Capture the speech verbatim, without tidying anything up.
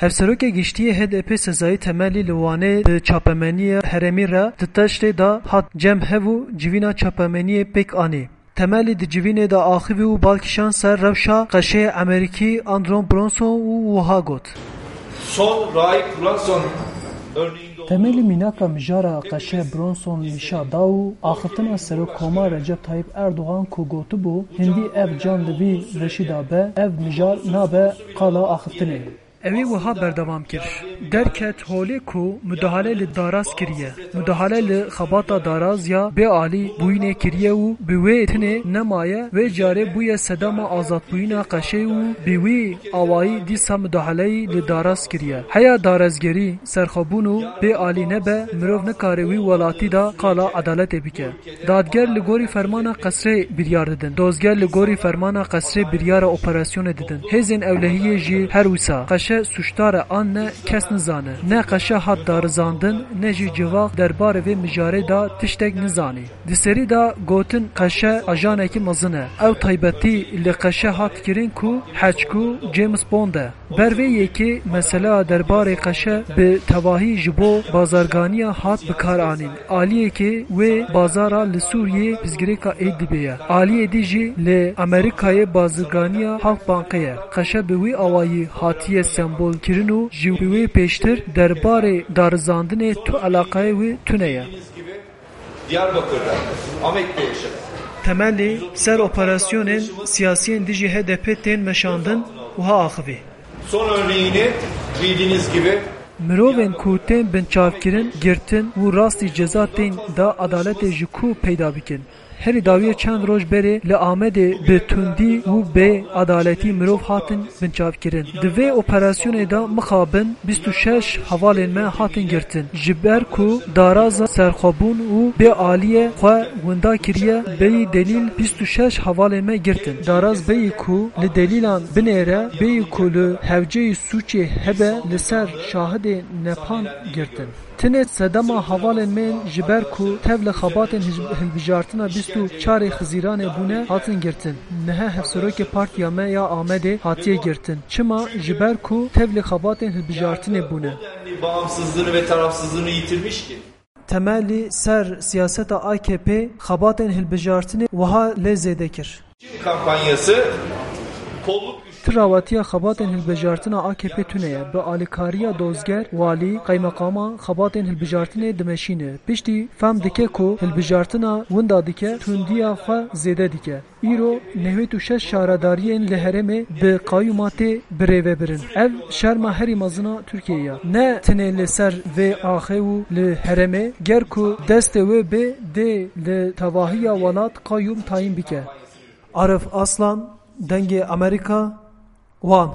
Hevserokê Giştî yê H D P Sezai Temelî li Wanê bi çapemeniya herêmî re di teştê de hat cem hev û civîna çapemeniyê pêk anî. Temelî di civînê de axivî û bal kişand ser rewşa qeşeyê Amerîkî Andron Bronson û wiha got. Son Raip Bronson örneğinde olduğu Temelî mînaka mijara qeşe Bronson nîşa da û axiftina Serokkoma Recep Tayyip Erdogan ku gotibû, hindî ev can li vî reşî de be, ev mijar nabe qala axiftinê. Ewî wiha berdewam kir. Derket holê ku mudahale li daraz kiriye. Mudahale li xebata daraz ya bê alî bûyînê kiriye û bi wê tinê nemaye, wê carê bûye sedema azadbûyîna qeşê û bi wî awayî dîsa mudahaleyî li daraz kiriye. Heya darazgerî, serxwebûn û bê alî nebe, mirov nikare wî welatî de qala edaletê bike. Dadger li gorî fermana qesrê biryar didin. Dozger li gorî fermana qesrê biryara operasyonê didin. Hêzên ewlehiyê jî her wisa. Qeşe sûcdar e an ne, kes nizane. Ne qeşe hat darizandin, ne jî civak derbarê vê mijarê de tiştek nizanî. Di serî de gotin qeşe ajanekî mezin e. Ew taybetî li qeşe hat kirin ku heçku James Bond e. Ber vê yekê mesela derbarê qeşe bi tevahî ji bo bazarganiya hat bikaranîn. Aliyekê wê bazara li Sûriyê pirsgirêka Îdlibê ye. Aliyê dî jî li Amerîkayê bazirganiya Halkbankê ye. Qeşe bi wî awayî hatiye sembol kirin û ji wê pêştir derbarê darizandinê tu eleqeyê wî tune ye. Diyarbakır'da, Ahmet'te yaşadım. Temelî ser operasyonên siyasiyên dijî H D P tên meşandin, wiha axivî. Son örneğini bildiğiniz gibi Mirovên ku tên binçavkirin, girtin û rastî ceza tên da edaletê ji ku peyda bikin. Herî dawiyê çend roj berê li Amedê bi tundî û bê edaletî mirov hatin binçavkirin. Di vê operasyonê de mixabin bîst û şeş hevalên me hatin girtin. Ji ber ku daraza serxwebûn û bê aliyê xwe winda kiriye, bêyî delîl bîst û şeş hevalên me girtin. Daraz bêyî ku li delîlan binêre, bêyî ku li hewceyî sûcê hebe, li ser şahidê nepan girtin. Tinê sedema hevalên me ji ber ku tev li xebatên hij-, hilbijartina bîst û çarê Xizîranê bûne, hatin girtin. Niha hevserokê partiya me ya Amedê hatiye girtin. Çima? Ji ber ku tev li xebatên hilbijartinê bûne. Bağımsızlığını ve tarafsızlığını yitirmiş ki. Temelî ser siyaseta A K P xebatên hilbijartinê wiha lê zêde kir. Kampanyası kolluk güçleri Tirawetiya xebatên hilbijartina A K P tune ye. Bi alîkariya dozger, walî, qeymeqama xebatên hilbijartinê dimeşîne. Piştî fem dike ku hilbijartina winda dike, tundiya xwe zêde dike. Îro nehwêt û şeş şaredariyên li herêmê bi qayûma tê birêvebirin. Ev şerma herî mezin a Tirkiyeyê ye. Ne tenê li ser vê axê û li herêmê, ger ku destê wê bê, dê li tevahiya welat qayûm tayîn bike. Arif Aslan, Dengê Amerîka, Wan.